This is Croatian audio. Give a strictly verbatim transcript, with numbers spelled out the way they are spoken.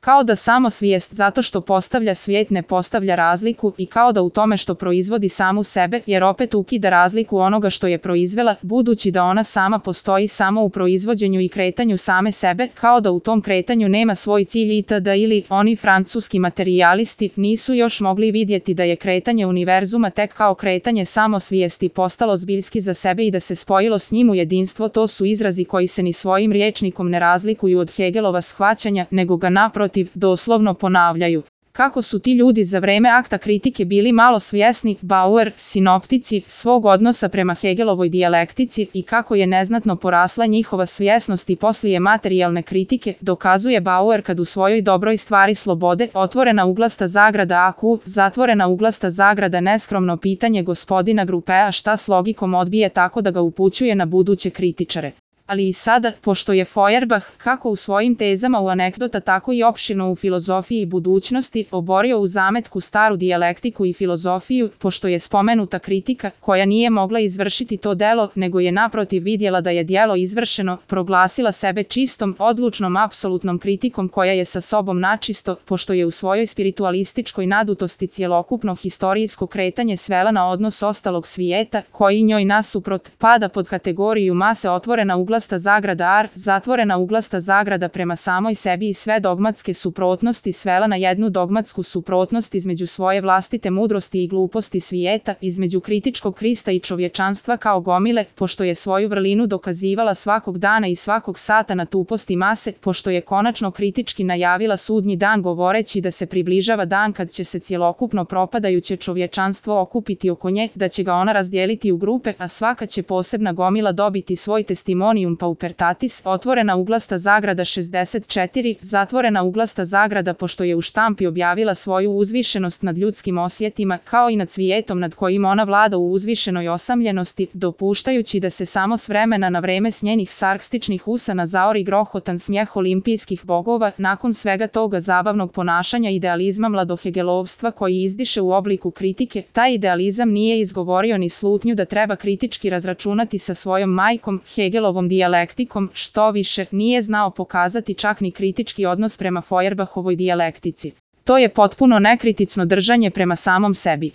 Kao da samo svijest zato što postavlja svijet ne postavlja razliku i kao da u tome što proizvodi samu sebe jer opet ukida razliku onoga što je proizvela, budući da ona sama postoji samo u proizvođenju i kretanju same sebe, kao da u tom kretanju nema svoj cilj itd. Ili oni francuski materijalisti nisu još mogli vidjeti da je kretanje univerzuma tek kao kretanje samo svijesti postalo zbiljski za sebe i da se spojilo s njim u jedinstvo. To su izrazi koji se ni svojim rječnikom ne razlikuju od Hegelova shvaćanja, nego ga naprotiv doslovno ponavljaju. Kako su ti ljudi za vreme akta kritike bili malo svjesni, Bauer, sinoptici, svog odnosa prema Hegelovoj dijalektici i kako je neznatno porasla njihova svjesnost i poslije materijalne kritike, dokazuje Bauer kad u svojoj dobroj stvari slobode, otvorena uglasta zagrada A Q, zatvorena uglasta zagrada neskromno pitanje gospodina Grupea šta s logikom odbije tako da ga upućuje na buduće kritičare. Ali i sada, pošto je Feuerbach, kako u svojim tezama u anegdota tako i opširno u filozofiji budućnosti, oborio u zametku staru dijalektiku i filozofiju, pošto je spomenuta kritika, koja nije mogla izvršiti to delo, nego je naprotiv vidjela da je djelo izvršeno, proglasila sebe čistom, odlučnom, apsolutnom kritikom koja je sa sobom načisto, pošto je u svojoj spiritualističkoj nadutosti cjelokupno historijsko kretanje svela na odnos ostalog svijeta, koji njoj nasuprot pada pod kategoriju mase otvorena uglasta zagrada ar, zatvorena uglasta zagrada prema samoj sebi i sve dogmatske suprotnosti svela na jednu dogmatsku suprotnost između svoje vlastite mudrosti i gluposti svijeta, između kritičkog Krista i čovječanstva kao gomile, pošto je svoju vrlinu dokazivala svakog dana i svakog sata na tuposti mase, pošto je konačno kritički najavila sudnji dan govoreći da se približava dan kad će se cjelokupno propadajuće čovječanstvo okupiti oko nje, da će ga ona razdijeliti u grupe, a svaka će posebna gomila dobiti svoj testimonium paupertatis, otvorena uglasta zagrada šezdeset četiri, zatvorena uglasta zagrada pošto je u štampi objavila svoju uzvišenost nad ljudskim osjetima, kao i nad svijetom nad kojim ona vlada u uzvišenoj osamljenosti, dopuštajući da se samo s vremena na vreme s njenih sarkastičnih usana zaori grohotan smijeh olimpijskih bogova, nakon svega toga zabavnog ponašanja idealizma mladohegelovstva koji izdiše u obliku kritike, taj idealizam nije izgovorio ni slutnju da treba kritički razračunati sa svojom majkom, Hegelovom dijalektikom, što više, nije znao pokazati čak ni kritički odnos prema Feuerbachovoj dijalektici. To je potpuno nekriticno držanje prema samom sebi.